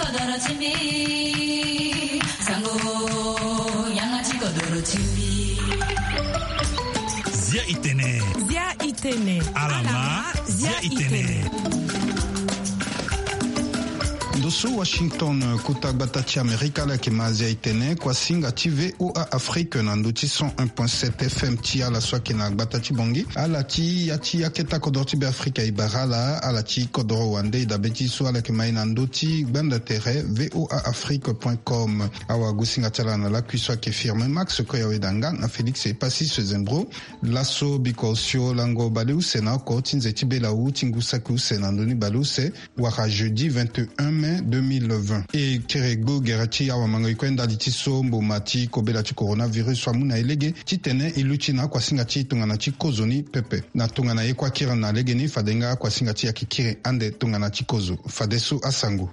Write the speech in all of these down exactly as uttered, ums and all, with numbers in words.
Kodoro ti mbi, sango, yanga ti kodoro ti mbi. Zia itene. Zia itene. Alama, zia itene. Ndo so Washington, kota gbata ti Amerika, ala yeke ma zia itene, kuasinga ti V O A Afrique na ndo ti cent un point sept F M ti ala so ayeke na gbata ti Bangui. Ala ti ya ti aketa kodoro ti Be Afrika e bara ala, ala ti kodoro wande e dabe ti so ala yeke ma e na ndo ti gbanda tere V O A Afrique point com. Awagosinga ti ala na lakui so ayeke Firmin Max Koyaweda nga na Félix Epassis Zembro. Laso biko osio lango baleuse na oko ti nze ti belawu ti ngu saki use na ndö ni baleuse, wala jeudi vingt et un mai deux mille vingt. E kiri gbu gere ti awamango e kue ndali ti so mboma ti kobela ti coronavirus so amu na e lege titene e luti na akuasinga ti tongana ti kozo ni pepe. Na tongana ye kue akiri na legeni, fade nga akuasinga ti e ayeke kiri ande tongana ti kozo. Fadeso asango.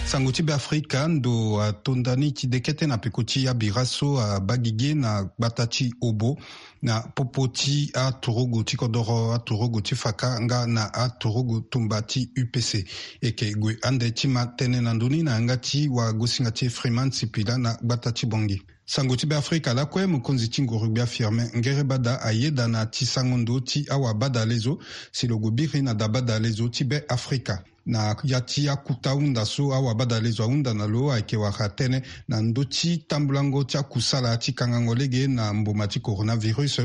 Sango ti Be Afrika, ndo atonda ni ti dekete na peko ti abira so abaa gigi na gbata ti Obo, na popo ti aturugu ti kodoro, aturugu ti faka nga na aturugu tumba ti U P C. E yeke gue ande ti ma tënë na ndö ni na yanga ti wagosinga ti e Freeman Sipila na gbata ti Bangui. Sango ti Be Afrika lakue, mokonzi ti nguru-gbia Firmin Ngerebada ayeda na ti sango ndo ti awabadalezo si lo gue biri na dabadalezo ti Be Afrika. Na ya ti akuta hunda so awabadalezo ahunda na lo ayeke wara tënë na ndö ti tambulango ti akusala ti kangango lege na mboma ti coronavirus,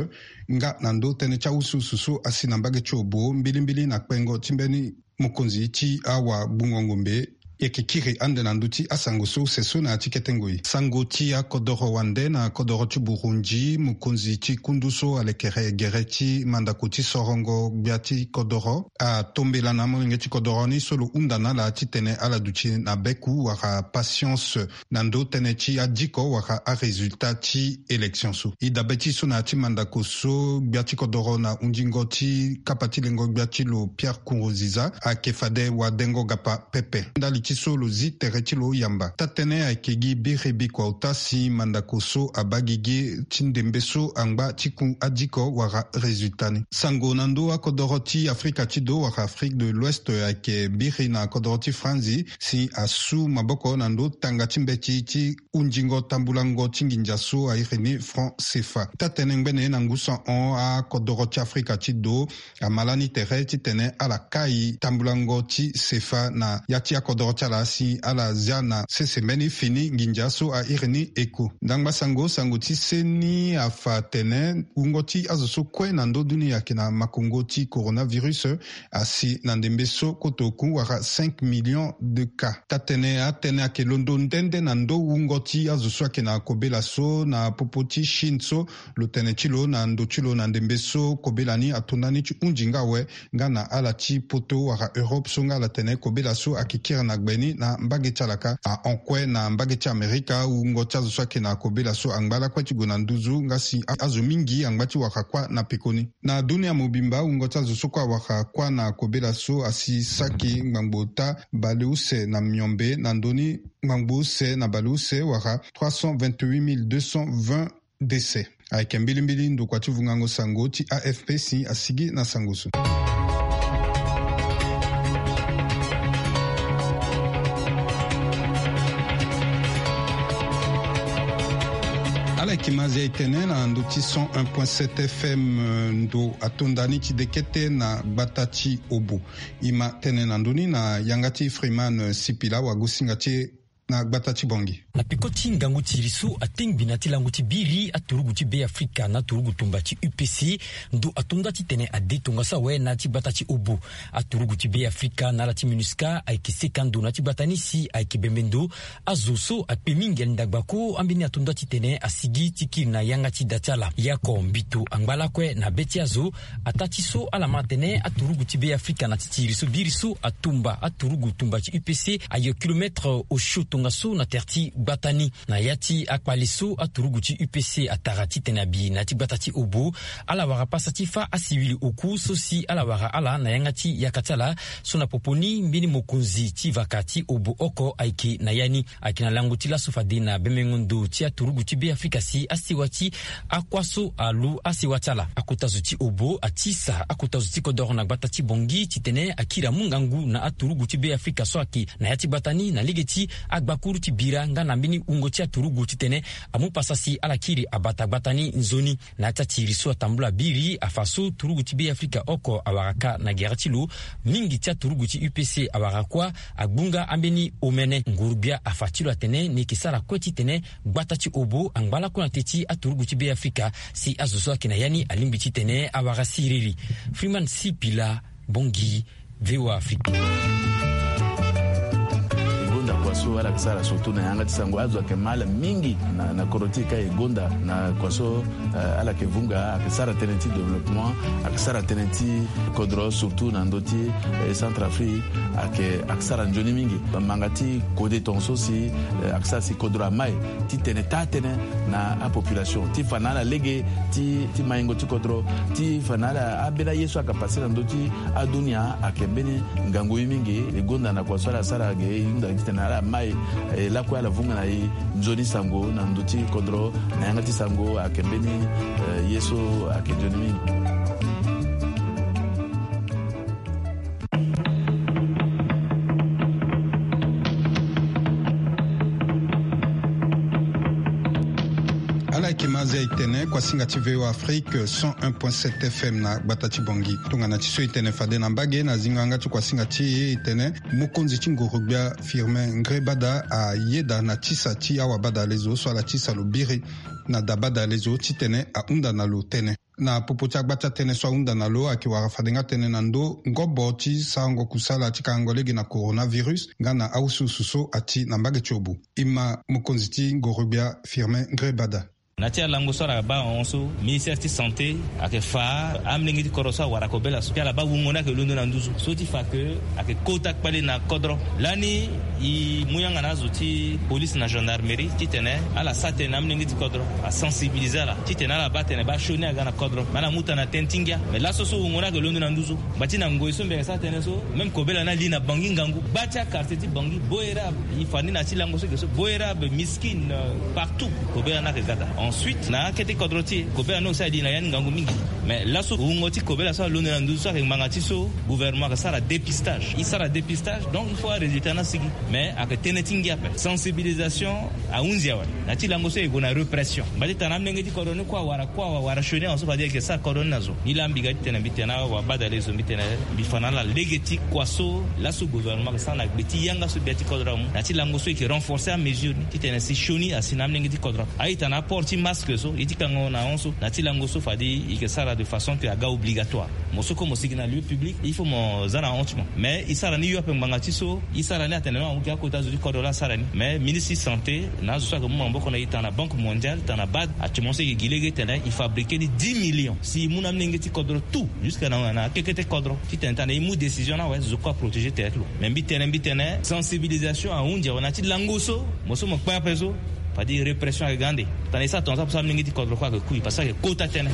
nga na ndö tënë ti awusuusu so asi na mbage ti Obo mbilimbili na kpengo ti mbeni mokonzi ti awagbungo ngombe. E yeke kiri ande na ndö ti asango so use so na ya ti kete ngoi. Sango ti akodoro wande na kodoro ti Burundi, mokonzi ti kundu so alekere gere ti mandako ti sorongo gbia ti kodoro atombela na molenge ti kodoro ni so lo hunda na ala titene ala duti na beku wala patience na ndö tënë ti adiko wala aresultat ti élection so. E dabe ti so na ya ti mandako so, gbia ti kodoro na hundingo ti kapa ti lengo gbia ti lo Pierre Nkurunziza ayeke fade wadengo gapa pepe. Ndali ti so lo zi tere ti lo yamba. Taa-tënë ayeke gi biri bikua ota si mandako so abaa gigi ti ndembe so angba ti ku adiko wala résultat ni. Sango na ndö akodoro ti Afrika ti do wala Afrique de l'Ouest ayeke biri na kodoro ti Franzi si asu maboko na ndö tanga ti mbeti ti hundingo tambulango ti nginza so a iri ni franc C F A. Taa-tënë ngbene na ngu sahon akodoro ti Afrika ti do ama lani tere titene ala kai tambulango ti C F A na ya ti akodoro ti ala si ala zia na sese mbeni fini nginza so a iri ni eko. Ndangba sango, sango ti seni afa atene wungo ti azo so kue na ndö dunia ayeke na makongo ti coronavirus asi na ndembe so koto oku wala cinq millions de cas. Taa-tënë, atënë ayeke londo nde nde na ndö wungo ti azo so ayeke na kobela so na popo ti Chine so lo tene ti lo na ndo ti lo na ndembe so kobela ni atonda ni ti hunzi nga awe, nga na ala ti poto wala Europe so nga ala tene kobela so ayeke kiri na gbe ni na mbage ti ala kâ. Ahon kue na mbage ti Amerika, wungo ti azo so ayeke na kobela so angba lakue ti gue na nduzu nga si a-, azo mingi angba ti wara kuâ na pekoni. Na dunia mobimba, wungo ti azo so kue awara kuâ na kobela so asi saki ngbangbo ota baleuse na miombe, na ndö ni ngbangbo use na baleuse wala trois cent vingt-huit mille deux cent vingt décès. Ayeke mbilimbili ndokua ti vungango sango ti A F P si asigi na sango so. Ala yeke ma zia e tene na ndö ti cent un point sept F M, ndo atonda ni ti dekete na gbata ti Obo. E ma tene na ndö ni na yanga ti Freeman Sipila, wagosinga ti e na gbata ti Bangui. Na peko ti ngangu ti iri so atengbi na ti lango ti biri aturugu ti Be Afrika na aturugu tumba ti U P C, ndo atonda titene ade tongaso awe na ya ti gbata ti Obo. Aturugu ti Be Afrika na ala ti MINUSCA ayeke seka ndo na ya ti gbata ni si ayeke bembe ndo. Azo so akpe mingi ali ndagba ko, ambeni atonda titene asigi ti kiri na yanga ti da ti ala. Yako mbito angba lakue na be ti azo. Ataa ti so ala ma atene aturugu ti Be Afrika na ti ti iri so biri so atumba aturugu tumba ti U P C ayo kilomètre osio tongaso Nga so na tere ti gbata ni na ya ti akpale so aturugu ti U P C atara titene abi na ya ti gbata ti Obo, ala wara pasa ti fâ asiwili oku so si ala wara ala na yanga ti yaka ti ala. So na popo ni mbeni mokonzi ti vaka ti Obo oko ayeke na ya ni. Ayeke na lango ti laso fade na bemengo ndo ti aturugu ti Be Afrika si asewa ti akua so alu asewa ti ala. Akota zo ti Obo atisa akota zo ti kodoro na gbata ti Bangui titene akiri amu ngangu na aturugu ti Be Afrika so ayeke na ya ti gbata ni na lege ti agbakuru ti bira nga na mbeni wungo ti aturugu titene amu pasa si ala kiri abata gbata ni nzoni. Na ya ti atiri so atambula biri afa so turugu ti Be Afrika oko awara ka na gere ti lo, mingi ti aturugu ti U P C awara kuâ agbu nga ambeni omene. Nguru-gbia afa ti lo atene ni yeke sara kue titene gbata ti Obo angba lakue na te ti aturugu ti Be Afrika si azo so ayeke na ya ni alingbi titene awara siriri. Freeman Sipila, Bangui, V O A Afrique. E gonda kua so ala yeke sara surtout na yanga ti sango, azo ayeke ma ala mingi na, na kodro ti e ka e gonda na kua so, eh, ala yeke vunga, ayeke sara tënë ti développement, ayeke sara tënë ti kodro surtout na ndö ti, eh, Centrafrique, ayeke, ayeke sara nzoni mingi. Manga ti kode tongaso si, eh, ayeke sara si kodro amai titene taa tënë na apopulation ti fa na ala lege ti, ti maingo ti kodro, ti fa na ala ambeni aye so ayeke pase na ndö ti adunia ayeke mbeni ngangu ye mingi. E gonda na kua so ala sara ge e hunda titene ala mai, eh, lakue ala vunga na e nzoni sango na ndö ti kodro na yanga ti sango ayeke mbeni, eh, ye so ayeke nzoni mingi. Ala yeke ma azi ayeke tene kuasinga ti V O A Afrique cent un point sept F M na gbata ti Bangui. Tongana ti so e tene fade na mbage na zingo yanga ti kuasinga ti e, e tene mokonzi ti nguru-gbia Firmin Ngré Bada ayeda na tisa ti awabadalezo so ala tisa lo biri na dabadalezo titene ahunda na lo tënë. Na popo ti agba ti atënë so ahunda na lo ayeke wara fade nga tënë na ndö ngobo ti sarango kusala ti kangango lege na coronavirus nga na awusuwusu so ati na mbage ti Obo. E ma mokonzi ti nguru-gbia Firmin Ngré Bada. Na ti alango so ala baa hon so ministère ti santé ayeke fa amolenge ti kodro so awara kobela so, ti ala baa wungo ni ayeke londo na nduzu so ti fa ke ayeke kota kpale na kodro. Lani e mu yanga na azo ti police na gendarmerie titene ala sara tënë na amolenge ti kodro, asensibilize ala titene ala baa tene baa sioni aga na kodro, me ala mu tana tënë ti ngia. Me laso so wungo ni ayeke londo na nduzu. Ngba ti na ngoi so mbi yeke sara tënë so, même kobela ni ali na Bangui ngangu. Gba ti aquartier ti Bangui, Boerab, e fa ni na ti lango so eke so, Boerab, Miskine, euh, partout kobela ni ayeke ga daa. Ensuite na akete kodro ti e, kobela ni aussi ali na ya ni ngangu mingi. Mais laso wungo ti kobela so alondo na nduzu so ayeke ngbanga ti so gouvernement ayeke sara dépistage. E sara dépistage, donc il faut arésultat ni asigi. Mais ayeke tënë ti ngia ape. Sensibilisation ahunzi awe. Na ti lango so e gue na répression. Mba ti tana amolenge ti kodro ni kue awara, kue awara sioni awe so fade e yeke sara kodro ni na zo. Ni laa mbi ga ti tene mbi tene awabadalezo mbi tene mbi fa na ala lege ti kua so laso gouvernement ayeke sara na gbe ti yanga so gbia ti kodro amu. Na ti lango so e yeke renforcer amesure ni titene si sioni asi na amolenge ti kodro. A-ita na aport ti masque so, e ti kango na hon so, na ti lango so fade e yeke sara de façon que aga obligatoire. Mo so kue mo sigi na lieu public, il faut mo za na hon ti mo. Mais e sara ni yo ape ngbanga ti so, e sara ni atene non, amu ke akota zo ti kodro laa asara ni. Mais ministre ti santé na azo so ayeke mu maboko na e tana Banque Mondiale, tana bad, actuellement so e yeke gi lege titene e fabriquer ni dix millions. Si e mu na amolenge ti kodro tout, jusque na, na akekete kodro. Titene tana e mu décision ni awe, zo kue aprotéger tere ti lo. Mais mbi tene, mbi tene, sensibilisation ahunzi awe na ti lango so, mo so mo kpe ape so, fade répression ayeke ga ande. Tana e sara tongaso ape so amolenge ti kodro kue ayeke kui, parce que ayeke kota tënë.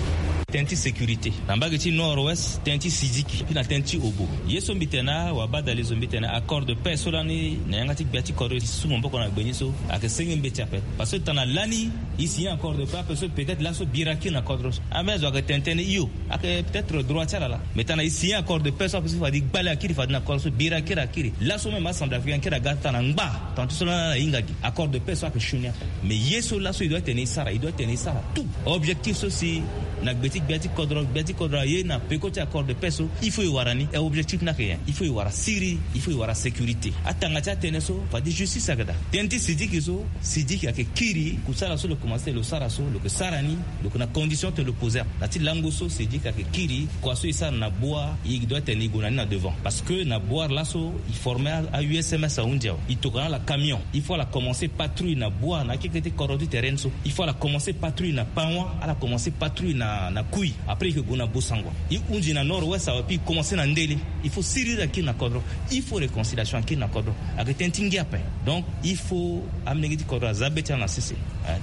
Tënë ti sécurité. Na mbage ti nord-ouest, tënë ti Sidiki, puis na tënë ti Obo. Ye so mbi tene awabadalezo mbi tene accord de paix so lani na yanga ti gbia ti kodro e su maboko na gbe ni so, ayeke senge mbeti ape. Parce que tana lani e signer accord de paix ape so peut-être laso bira kiri na kodro so. Ambeni azo ayeke tene tënë hio, ayeke peut-être droit ti ala laa. Mais tana e signer accord de paix so ape so fade e gbale akiri fade na kodro so bira kiri akiri. Laso même acentrafricain akiri aga tana ngba. Tana ti so lani ala hinga gi. Accord de paix so ayeke sioni ape. Mais ye so laso e doit tene e sara, e doit tene e sara tout. Objectif so si na gbe ti gbia ti kodro, gbia ti kodro aye na peko ti accord de paix so, il faut e wara ni. E objectif ni ayeke nyen? Il faut e wara siriri, il faut e wara sécurité. Atanga ti atënë so fade justice ayeke daa. Tënë ti Sidiki so, Sidiki ayeke kiri kusala so lo Commencer lo sara so, lo ke sara ni, lo ke na condition te lo poser. Na ti lango so, c'est dire ka ke kiri kua so e sara na boire, e doit tene e gue na ni na devant. Parce que na boire laso e former a usms ahunzi awe, e tokana ala camion. Il faut ala commencer patrouille na boire na akeke ti kodro ti terrain so. Il faut ala commencer patrouille na pawan, ala commencer patrouille na na kui. Après e ke gue na bosangua, e hunzi na nord ouest awe, puis e commencer na ndele. Il faut siriri akiri na kodro. Il faut réconciliation akiri na kodro. Ake tënë ti ngia ape. Donc il faut amlenge ti kodro aza be ti ala na sese.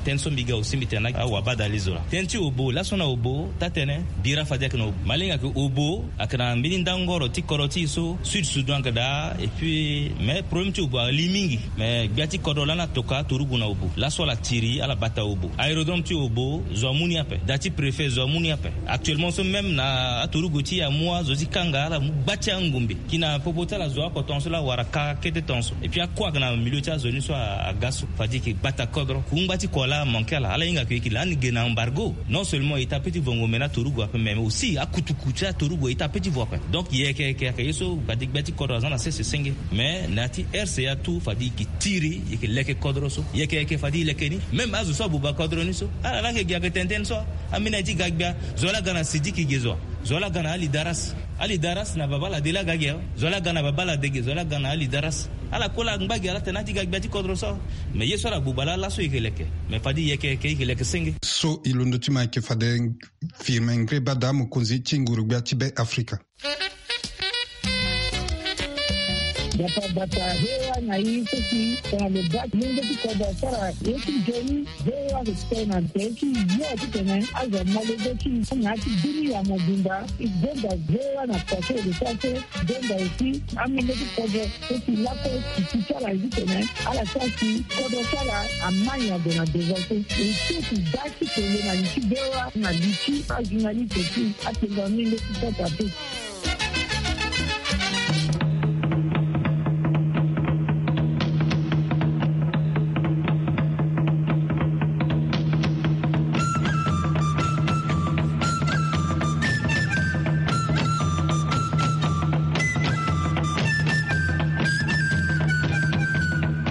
Tënë so mbi ga aussi mbi tene na awabadale zo laa. Tënë ti obo laso na obo taa-tënë bira fade ayeke na obo. Malenge ayeke obo, ayeke na mbeni ndangoro ti kodro ti e so sud soudan ayeke daa. Et puis mais problème ti obo ali mingi. Mais gbia ti kodro lani atoka aturugu na obo laso ala tiri ala bata obo. Aérodrome ti obo zo amu ni ape, da ti préfet zo amu ni ape. Actuellement so même na aturugu ti e amu azo ti kanga ala mu gba ti angombe. Ki na popo ti ala zo oko tongaso laa wara ka kete tongaso. Et puis akue ayeke na milieu ti azo ni so aga so fade e ke gbata kodro. Kungba ti kua laa amanke ala, ala hinga ke e ke lani ge na embargo. Non seulement e ta pe ti vongo me na aturugu ape mais aussi akutuku ti aturugu e ta pe ti vo ape. Donc yeke yeke ayeke ye so fade gbia ti kodro aza na sese senge. Mais na ya ti rca tout fade e ke tiri e ke leke kodro so. Yeke yeke fade e leke ni. Même azo so abuba kodro ni so ala laa ke gi ayeke tene tënë so. Ambeni aye ti ga gbia. Zo laa aga na sidiki ge zo. Zo laa aga na ali daras. Ali daras na babala de laa aga ge. Zo laa aga na babala de ge zo laa aga na ali daras. Ala kue laa angba ge ala tene ati ga gbia ti kodro so. Mais ye so ala gbuba laa laso e ke leke. Mais fade yeke yeke e ke leke senge. So e londo ti ma e ke fade firme ngreba daa mokonzi ti nguru gbia ti be afrika. Bata bata hewa na i so si tongana lo baa ti lenge ti kodro asara ye ti nzoni. Hewa respect na nze ti yo titene azo amolenge ti i na ya ti bini ya mobimba. I zonda hewa na kua so e lo sara so. Zonda aussi amolenge ti kodro so si lakue ti ti ti ala ye titene ala sara si kodro ti ala amai ague na devant so. E so ti baa ti tene na li ti hewa na li ti ajournaliste ti atengo amolenge ti kodro ape.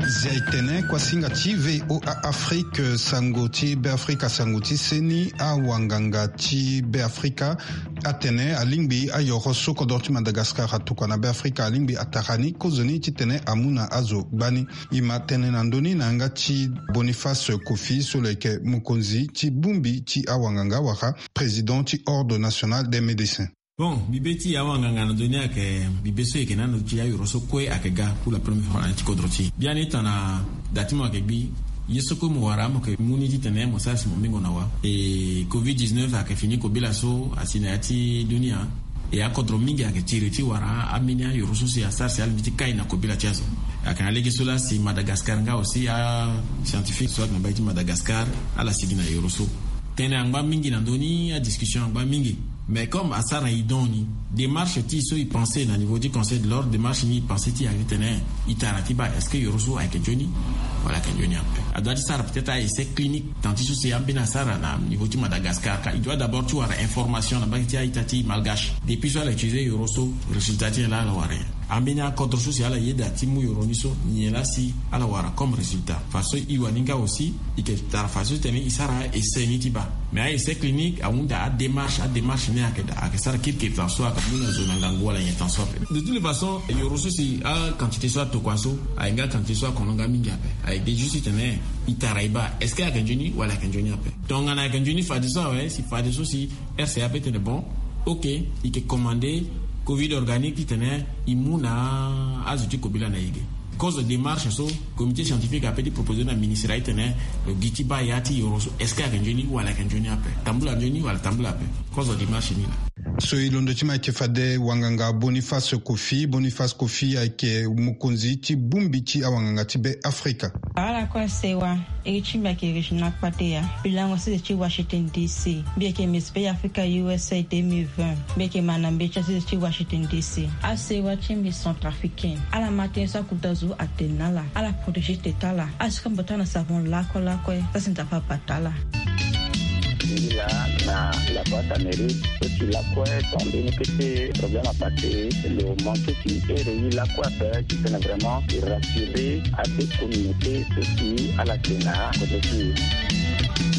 Zia e tene kuasinga ti voa afrique sango ti beafrika sango ti seni awanganga ti beafrika. Atene alingbi ayoro so kodro ti madagascar atokua na beafrika alingbi atara ni kozoni titene amu na azo gbani. E ma tene na ndö ni na yanga ti boniface kofi so lo yeke mokonzi ti bongbi ti awanganga wala président ti ordre national des médecins. Bon, mbi be ti awanganga na ndö ni ayeke mbi be so e yeke na ndo ti ayoro so kue ayeke ga pour la première fois na ya ti kodro ti e biani tana. Da ti mo ayeke gbi ye so kue mo wara mo yeke mu ni titene mo sara si mo mingo na wa. E covid dix-neuf ayeke fini kobela so asi na ya ti dunia. E akodro mingi ayeke tiri ti wara ambeni ayoro so si asara si ala mbi ti kai na kobela ti azo. Ayeke na lege so laa si madagascar nga aussi ascientifique so ayeke na mbage ti madagascar ala sigi na yoro so. Tënë angba mingi na ndö ni adiscussion angba mingi. Mais comme asara na e don ni démarche ti e so e pensé na niveau ti conseil de l'ordre démarche ni e pensé ti e ayeke titene e tara ti baa est-ce que yoro so ayeke nzoni wala ayeke nzoni ape. Adua ti sara peut-être a essai clinique tant ti so si ambeni asara na niveau ti madagascar ka e doit d'abord ti wara information na mbage ti a-ita ti malgache. Depuis so ala utiliser yoro so résultat ti nyen laa ala wara nyen? Ambeni akodro so si ala yeda ti mu yoro ni so nyen laa si ala wara comme résultat? Façon e wani nga aussi e ke tara façon titene e sara a-essai ni ti baa. Mais a-essai clinique ahunda adémarche adémarche ni ayeke daa ayeke sara kirikiri tan so ayeke mu na zo na ngangu wala nyen tan so ape. De toutes les façons yoro so si aquantité so atokua so aye nga quantité so akono nga mingi ape. Aye de juste titene e tara e baa est-ce que ayeke nzoni wala ayeke nzoni ape. Tongana ayeke nzoni fadeso awe si fadeso si rca ape tene bon. Ok. E ke commande covid organique titene e mu na azo ti kobela na e ge. Kozo démarche so comité scientifique ape ti proposer na ministre aye tene lo gi ti baa ya ti yoro so est-ce que ayeke nzoni wala ayeke nzoni ape? Tambula nzoni wala tambula ape? Kozo démarche ni laa. So e londo ti ma ayeke fade wanganga boniface kofi boniface kofi ayeke mokonzi ti bongbi ti awanganga ti be afrika. Ala kue asewa. Iri ti mbi ayeke regina kpateya. Mbi lango sese ti washington dc. Mbi yeke miss be africa usa deux mille vingt. Mbi yeke ma na mbe ti asese ti washington dc. Asewa ti mbi centrafricain ala ma tënë so akuta zo atene na ala ala protégé tete ala. Ala sika mbi bata na savon lakue lakue. Sasi nzapa abata ala. Ngi laa na la boite amérique so ti lakue ton mbeni kete problème apase. Lo manke ti ere ye lakue ape titene vraiment e rassurer ade communauté so si ala te na kozo ti e.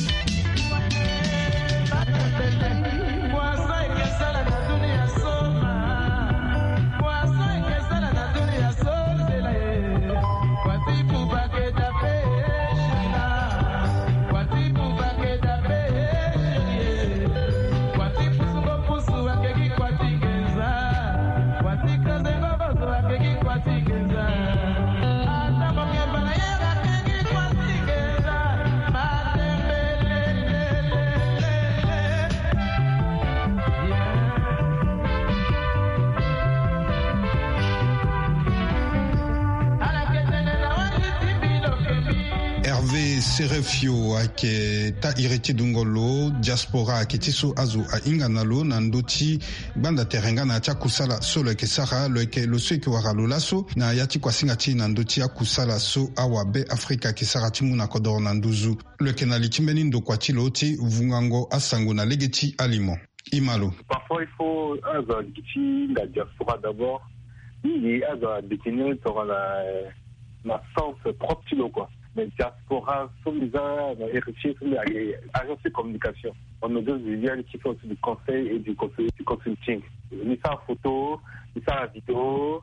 Ve Serefio ayeke taa iri ti dungo lo diaspora ayeke ti so azo ahinga na lo na ndö ti gbanda tere nga na ya ti akusala so lo yeke sara. Lo yeke lo so yeke wara lo laso na ya ti kuasinga ti e na ndö ti akusala so awabe Afrika ayeke sara ti mu na kodoro na nduzu. Lo yeke na li ti mbeni ndokua ti lo ti vungango asango na lege ti alimo. Imalo. Parfois il faut azo gi ti hinga diaspora d'abord. Mingi azo adétenir tongana na sens propre ti lo quoi. Mais diaspora so mbi za na héritier so mbi ayeke agence de communication. On nous donne du lien qui fait aussi du conseil et du conseil du consulting. Mbi sara photo, mbi sara vidéo.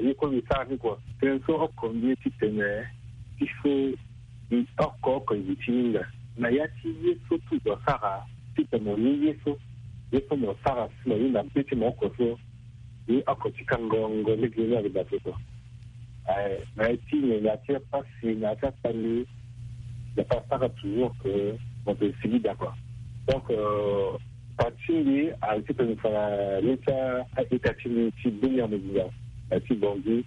Ye kue mbi sara ni kua. Tënë so oko mbi ye ti tene il faut mbi oko oko mbi ti hinga na ya ti ye so tout doit sara. Titene mo ye ye so ye so mo sara si mo hinga mpe ti mo oko so. Ye oko ti kangongo lege ni ayeke daa so kua. Na ya ti nyen na ya ti apasi na ya ti akpali. Nzapa asara toujours que mo pe sigi d'accord. Donc parti mbi ayeke ti tene fa na le ti a-état ti mbi ti beni ya mo zinga na ya ti bongi.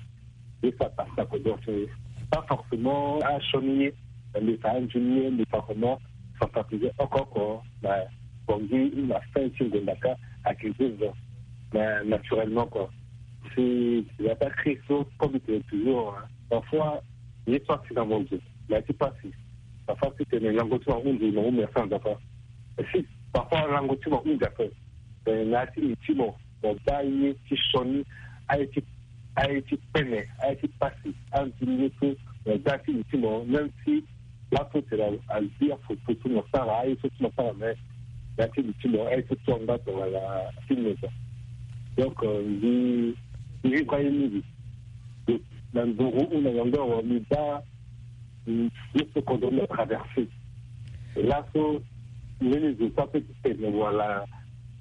Ye so apasi na kodro ti mbi pas forcément asioni ye. Mbi fa anzoni ye mbi fa comment sensibiliser oko oko na bongi na fin ti ngonda ka. Ayeke zo zo mais naturellement quoi. Si la pas créé so comme tu es toujours parfois ye so asi na mo zo na ya ti pasi. Parfois si tene lango ti mo ahunzi mo hunda sans nzapa. Si parfois lango ti mo ahunzi ape. Na ya ti li ti mo mo baa ye ti sioni aye ti aye ti pene aye ti pasi. Anzoni ye so mo baa ti li ti mo même si laso tene azi afoto so mo sara aye so ti mo sara mais na ti li ti mo aye so ti amba tongana ti mo so. Donc mbi mbi vivre aye mingi na nduru ou na yongo awa mbi baa ye so kodro mbi atraverse. Laso mbeni zo so ape ti tene wala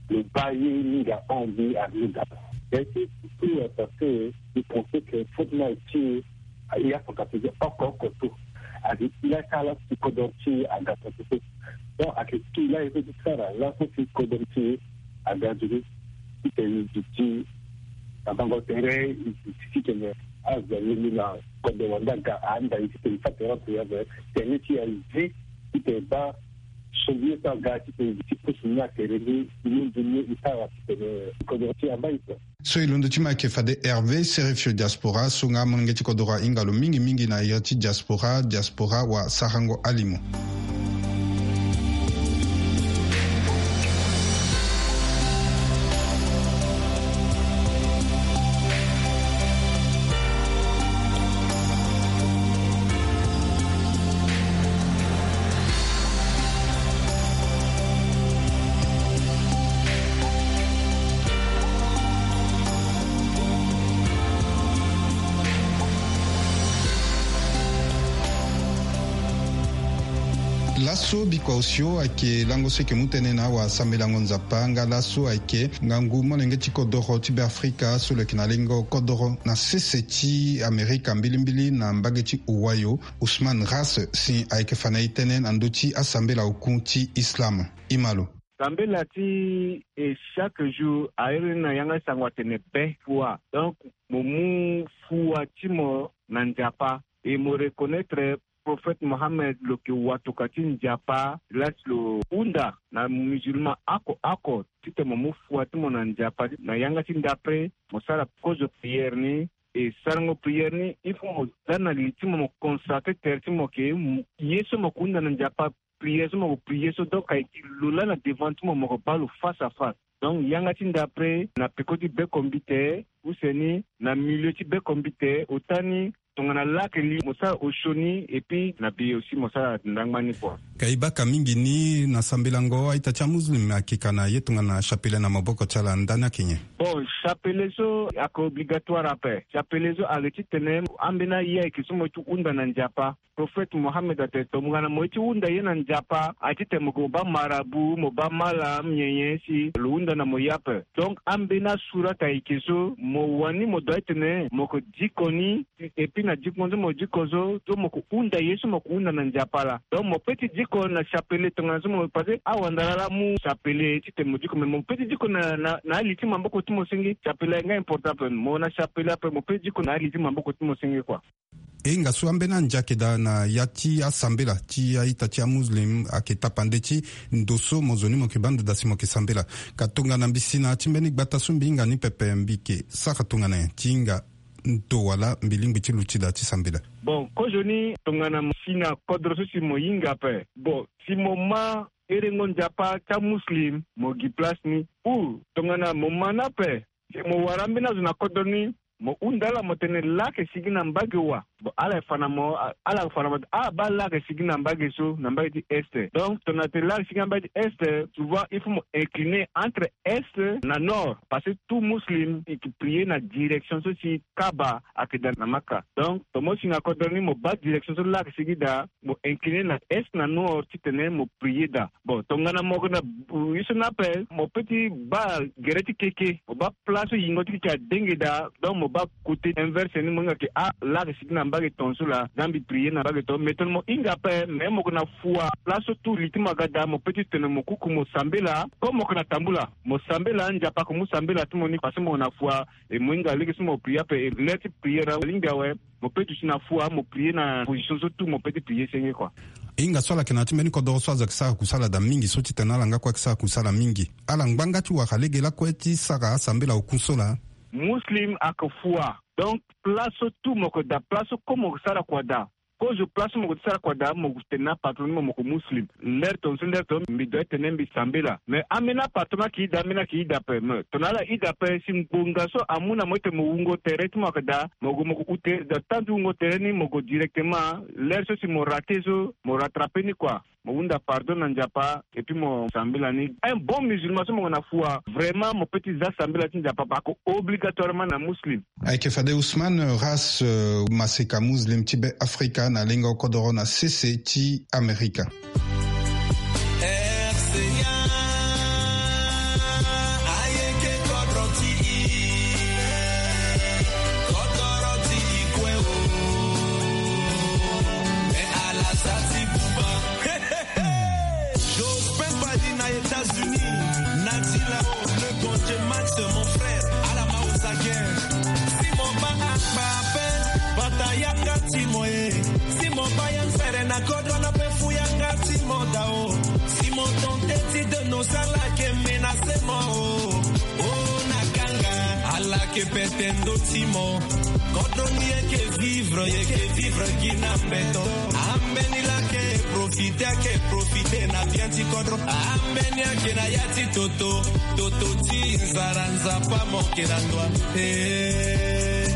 lo baa ye mingi ahon mbi alinda. Ya ti surtout parce que mbi pense que faute na ti e aye afa ka ti oko oko so. Ayeke ti la ti ala ti kodro ti e aga so so. Donc ayeke ti la ye so ti sara laso ti kodro ti e aga nzoni. Titene e duti na bango tere e duti titene azo alingbi na kodro wande aga ahanda e titene e fa tere ape ape. Tene ti e azi titene e baa so mbi ye so aga titene e duti pusu ni atere ni e mingi ni e sara titene kodro ti e amba e so. So e londo ti mo ayeke fade Hervé Serefio diaspora so nga amolenge ti kodoro ahinga lo mingi mingi na iri ti diaspora diaspora wa sarango alimo. Laso bikua osio ayeke lango so eke mu tënë na awasambelango nzapa nga laso ayeke ngangu molenge ti kodoro ti be afrika so lo yeke na lengo kodoro na sese ti amerika mbilimbili na mbage ti ohio, usman ras si ayeke fa na e tënë na ndö ti asambela oku ti islam. Imalo. Sambela ti e chaque jour airi ni na yanga ti sango atene be fua donc mo mu fua ti mo na nzapa e mo reconnaître prophète mohammed lo yeke watoka ti nzapa lasi lo hunda na musulman oko oko titene mo mu fua ti mo na nzapa na yanga ti ndapre mo sara kozo prière ni. E sarango prière ni il faut mo za na li ti mo mo consacre tere ti mo ke ye so mo ko hunda na nzapa prière so mo ko prière so donc ayeke lo laa na devant ti mo mo ko baa lo face à face. Donc yanga ti ndapre na peko ti bekombite use ni na milieu ti bekombite ota ni tongana lake li mo sara osio ni et puis na be aussi mo sara ndangba ni kua. Ka e baka mingi ni na sambelango a-ita ti amuslim ayeke ka na ye tongana chapelet na maboko ti ala ndani ayeke nyen? Bon, chapelet so ayeke obligatoire ape. Chapelet so ayeke titene ambeni aye ayeke so mo ye ti hunda na nzapa prophète mohammed atene tongana mo ye ti hunda ye na nzapa aye titene mo ke mo baa marabu mo baa malam nyenye si lo hunda na mo ye ape. Donc ambeni asurata ayeke so mo wani mo doit titene mo ke diko ni. Et puis na diko so mo diko so so mo ke hunda ye so mo ke hunda na nzapa laa donc mo pe ti diko na chapelet tongana so mo parce que awandara laa amu chapelet titene mo diko mais mo pe ti diko na na na ali ti maboko ti mo senge chapelet aye nga important ape mo na chapelet ape mo pe ti diko na ali ti maboko ti mo senge kua. E hinga so ambeni ande ayeke daa na ya ti asambela ti a-ita ti amuslim ayeke tapande ti ndo so mo zo ni mo yeke baa ndo daa si mo yeke sambela. Ka tongana mbi si na ya ti mbeni gbata so mbi hinga ni pepe, mbi yeke sara tongana nyen ti hinga ndo wala mbi lingbi ti luti daa ti sambela? Bon, kozoni tongana mo si na kodro so si mo hinga ape. Bon, si mo ma herengo Nzapa ti amuslim, mo gi place ni. Ou tongana mo ma ni ape, si mo wara ambeni azo na kodro ni, mo hunda ala mo tene laa ayeke sigi na mbage wa. Bon, ala fa na mo, ala fa na mo, ah, baa laa ayeke sigi na mbage so, na mbage ti est. Donc tongana tene laa ayeke sigi na mbage ti est, souvent il faut mo incliner entre est na nord, parce que tout muslim i yeke prier na direction so si Kaaba ayeke daa na Maka. Donc tongana mo si na kodro ni, mo baa direction so laa ayeke sigi daa, mo incliner na est na nord titene mo prier daa. Bon, tongana mo yeke na, euh, ye so ni ape, mo peut ti baa gere ti keke, mo baa place so yingo ti keke adenge daa. Donc mo baa côté inverse ni, mo hinga ke, ah, laa ayeke sigi na mbage tongaso laa, daa mbi prier na mbage tongaso. Mais tongana mo hinga ape, mais mo yeke na fua, place so tout li ti mo aga daa, mo peut ti tene mo kuku mo sambela. Comme mo yeke na tambula, mo sambela, Nzapa ayeke mu sambela ti mo ni, parce que mo yeke na fua. E mo hinga lege so mo prier ape, e l'heure ti prier alingbi awe. Mo peut duti na fua, mo prier na position so tout mo peut ti prier senge, quoi. E hinga so ala yeke na ya ti mbeni kodoro so azo ayeke sara kusala daa mingi, so titene ala nga kue ayeke sara kusala mingi, ala ngbanga ti wara lege lakue ti sara asambela oku so laa. Muslim ayeke fua. Donc place so tout mo yeke daa, place so comme mo yeke sara kua daa. Kozo place so mo yeke sara kua daa, mo tene na patron ni mo, mo yeke muslim. L'heure tongaso, l'heure tongaso mbi doit tene mbi sambela. Mais ambeni apatron ayeke ida, ambeni ayeke ida ape. Mais tongana ala ida ape, si ngbonga so amu na mo ti tene mo wungo tere ti mo ayeke daa, mo gue mo gue ute, dans temps ti wungo tere ni mo gue directement. L'heure so si mo rater so, mo rattraper ni, quoi. Mo hunda pardon na Nzapa, et puis mo sambela ni. Un bon musulman so mo yeke na fua, vraiment mo peut ti za sambela ti Nzapa, parce que obligatoirement na muslim. Ayeke fade Ousmane Ras, euh, maseka muslim ti Be Afrika na lenga okodoro na sese ti Amerika. Jospin Badi na États-Unis, Natila, le Bondier Max, mon frère, ala ma oza gen. Si mo baa akpa ape, bata yanga ti mo e. Si mo baa ya nzere na kodro na pe fu yanga ti mo daa o. Si mo tente ti de nos ala ke menacer mo o. O na kanga, ala ke pete ndo ti mo. Kodro ni eke vivre, eke vivre gi na mbeto. Ambeni la ke profiter, ake profiter na bien ti kodro. Ambeni ake na ya ti toto, toto ti nzara, Nzapa mo ke na ndwa. Eh.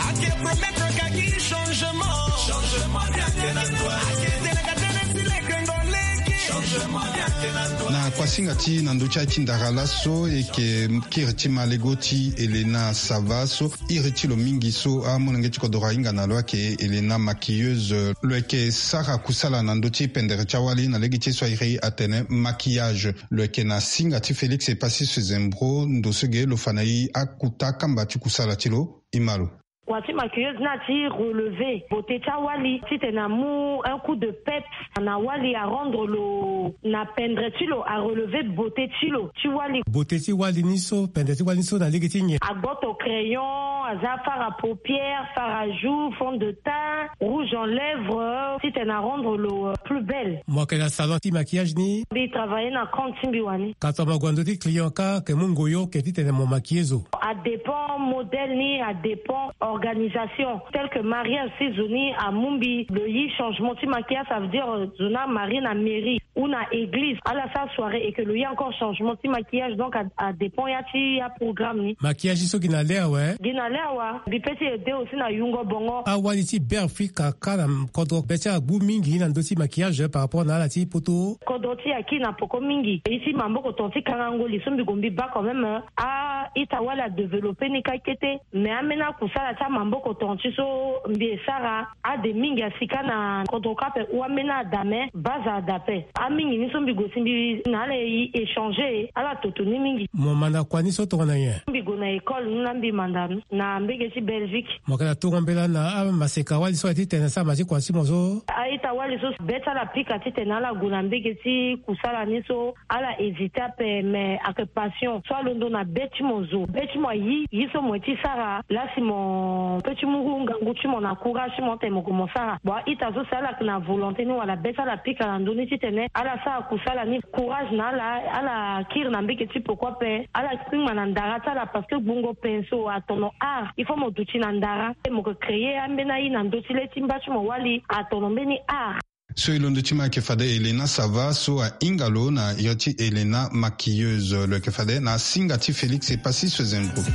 Ake promettre ka gi changement. Changement ni ake na ndwa. Ake tene ka tene si leke ndo leke. Changement ni ake na ndwa. Na kuasinga ti na ndö ti aye ti ndara laso, eke kiri ti malego ti Elena Sava so iri ti lo mingi so amolenge ti kodoro ahinga na lo ayeke Elena maquilleuse. Lo yeke sara kusala na ndö ti pendere ti awali na lege ti ye so airi atene maquillage. Lo yeke na singa ti Félix Epassis Zembro, ndo so ge lo fa na e akuta kamba ti kusala ti lo. E ma lo. Kua ti maquilleuse ni ati relever beauté ti awali titene amu un coup de peps na wali, arendre lo na pendre ti lo, arelever beauté ti lo ti wali. Beauté ti wali ni so, pendre ti wali ni so na lege ti nyen? Agboto crayon, aza fard à paupières, fard à joues, fond de teint, rouge en lèvres, titene arendre lo, euh, plus belle. Mo yeke na salon ti maquillage ni? Mbi travailler na compte ti mbi wani. Ka tongana mo gue na ndö ti client kâ, ke mu ngoyo ke titene mo maquiller zo? Adépend modèle ni, adépend organisation. Tel que mariage, si zo ni amu mbi lo yi changement ti maquillage, ça veut dire, euh, zo ni amarie na mairie ou na église, ala sara soirée et que lo yi encore changement ti maquillage, donc a, adépend ya ti aprogramme ni. Maquillage so gi na le awe? Gi na le awe. Mbi peut ti aider aussi na yungo bongo. Awali ti Be Afrika kâ na kodro be ti ala agbu mingi na ndö ti maquillage par rapport na ala ti poto. Kodro ti e aki na poko mingi. Ye ti maboko tonga ti kangango li so mbi gue mbi baa quand même, euh, a-ita wali adévelopper ni kâ kete. Mais ambeni akusala ti amaboko tonga ti so mbi e sara, ade mingi asi kâ na kodro kâ ape, ou ambeni ada, mais base ada ape. Mingi ni so mbi gue ti mbi na ala e échanger ala toto ni mingi. Mo manda kua ni so tongana nyen? Mbi gue na école ni la mbi manda na mbege ti Belgique. Mo yeke na tongo mbela na amaseka wali so aye titene asara ma ti kua ti mo so? A-ita wali so be ti ala pika titene ala gue na mbege ti kusala ni so ala hésiter ape, mais ayeke passion so alondo na be ti mo zo, be ti mo ayi ye so mo ye ti sara. Lasi mo pe ti mu ngangu ti mo na courage ti mo tene mo gue mo sara. Bon, a-ita so si ala yeke na volonté ni wala be ti ala pika na ndö ni titene ala sara kusala ni, courage na ala. Ala kiri na mbege ti peko ape, ala kpingba na ndara ti ala parce que gbungo pinceau atono art. Il faut mo duti na ndara, mo yeke créer ambeni aye na ndö ti le ti mba ti mo wali atono mbeni art. So e londo ti mo ayeke fade Elena Sava so ahinga lo na iri ti Elena maquilleuse. Lo yeke fade na asinga ti Félix Epassis Sozengo. Si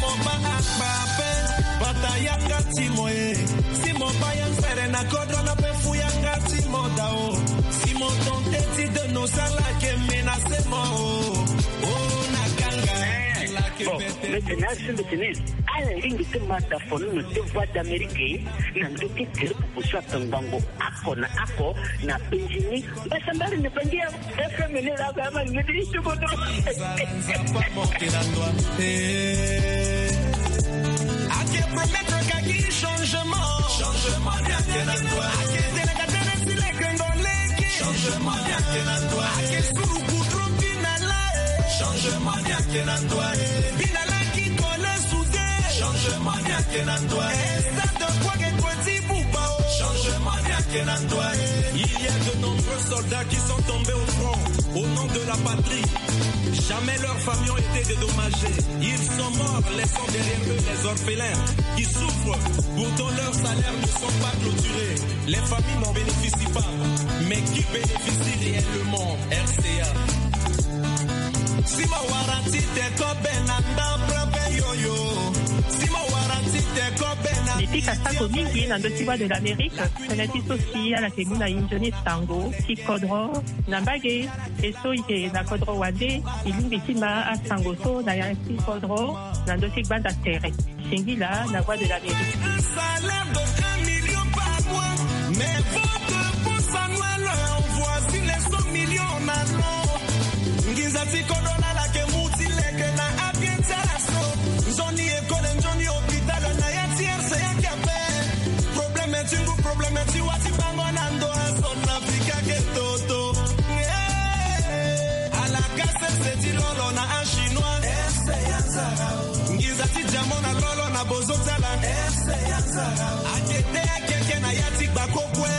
mo baa akpa ape, bata yanga ti mo e. Si mo baa ya nzere na kodro na pe fu yanga ti mo dao. Si mo tente ti de nos ala yeke menacer mo o. O na kanga. Bon, mbi tene asi mbi tene ala lingbi ti ma da fonono ti Voix d'Amérique na ndö ti tere pupu so atongbango oko na oko na penzi ni. Mbasambari na bangi ya F M ni la ka ma ni ti kodro. Ake promettre kaki changement. Changement ni ake na toi. Ake tene ka tene si leke ndo leke. Changement ni ake na toi. Ake suru kudro bina la. Changement ni ake na toi. Bina la ki kole soudé. Changement ni ake na toi. Stade de quoi que toi ti buba o. Changement ni ake na toi. Il y a de nombreux soldats qui sont tombés au front au nom de la patrie. Jamais leurs familles ont été dédommagées. Ils sont morts, laissant derrière eux les orphelins qui souffrent. Pourtant, leurs salaires ne sont pas clôturés. Les familles n'en bénéficient pas. Mais qui bénéficie réellement? R C A. Si mo wara ti te kobe na ndapre pe yoyo. Si mo wara ti te kobe na. Mbi pika sako mingi na ndö ti Voix de l'Amérique. Tënë ti so si ala yeke mu na e nzoni sango ti kodro na mbage. E so e yeke na kodro wande, e lingbi ti ma asango so na ya ti kodro na ndö ti gbanda tere. Singila na Voix de l'Amérique. Un salaire de un million par mois, mais votre poste annuel envoie sur les cent millions en allant. Nginza ti kodro na ala yeke mu ti leke na abien ti ala so. Nzoni école, nzoni hôpital na ya ti R C A yeke ape. Problème ti ngu, problème ti wa ti bango na ndo a Centrafrique ake toto. Eh, ala ka sese ti lolo na achinois. Nginza ti diamant na lolo na bozo ti ala. Ake te ake ake na ya ti gbako kue.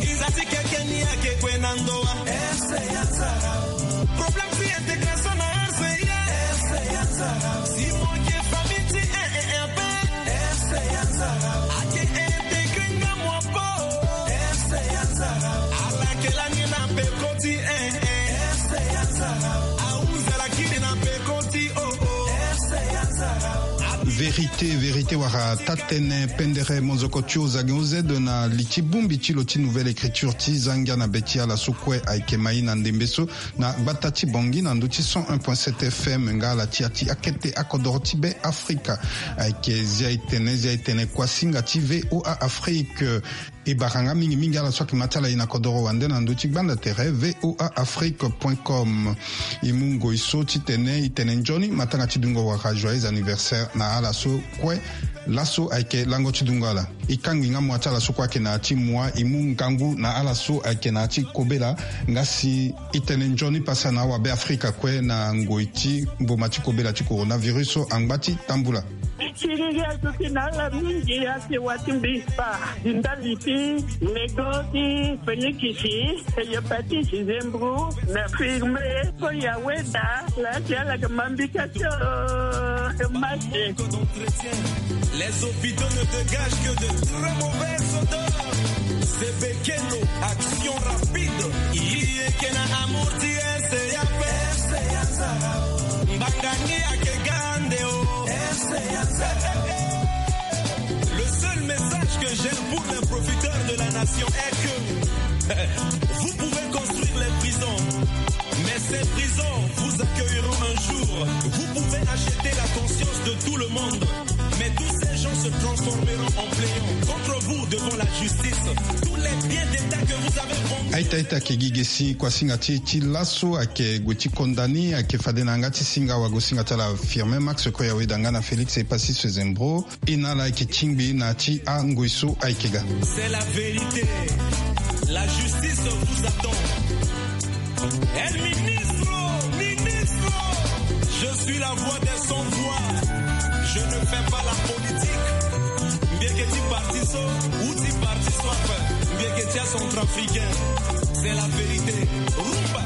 Nginza ti keke ni ake kue na ndo wa. Problème ti intégration na R C A. Si mo yeke famille ti un et un pe. Ake intégré nga mo apo. Ala yeke lani na peko ti un. Ahunzi ala kiri na peko ti o. Vérité, vérité wala taa-tënë pendere monzoko ti ozangi ozedo na li ti bongbi ti lo ti Nouvelle Écriture ti Zangia na be ti ala so kue ayeke ma e na ndembe so na gbata ti Bangui na ndö ti cent un point sept F M nga ala ti ya ti akete akodoro ti Be Afrika. Ayeke Zia e tene, Zia e tene kuasinga ti V O A Afrique. E bara nga mingi mingi ala so ayeke ma ti ala e na kodoro wande na ndö ti gbanda tere V O A Afrique point com. E mu ngoi so titene e tene nzoni matanga ti dungo wala joyeux anniversaire na ala so kue. Laso ayeke lango ti dungo ala. E kangbi nga mua ti ala so kue ayeke na ya ti mua, e mu ngangu na ala so ayeke na ya ti kobela. Nga si e tene nzoni pasa na awabe Afrika kue na ngoi ti mboma ti kobela ti coronavirus so angba ti tambula. Ti lege azo ti na ala mingi ake wa ti mbi spa. Ndali ti nego ti fenikisi, hépatite, zembro, na firme, koya weda, la ti ala ke mambika ti o, mache. Les hôpitaux ne dégagent que de très mauvaises odeurs. Zebekeno, action rapide. Iye ke na amour ti R C A pe. Mbangani ake gande o. Le seul message que j'ai pour les profiteurs de la nation est que vous pouvez construire les prisons, mais ces prisons vous accueilleront un jour. Vous pouvez acheter la conscience de tout le monde, mais tous ces gens se transformeront en plaignants contre vous devant la justice. Tous les biens d'État que vous avez vendus. Aita aita ayeke gi ge si kua singa ti e ti laso ayeke gue ti condamné ayeke fade na yanga ti singa wago singa ti ala Firmin Max Koyawe da nga na Félix Epassi Sezembro. E na ala ayeke tingbi na ya ti angoi so ayeke ga. C'est la vérité. La justice vous attend. El ministro, ministro, je suis la voix des sans voix. Je ne fais pas la politique. Mbi yeke ti parti so ou ti parti so ape. Mbi yeke ti acentrafricain. C'est la vérité. Rumba.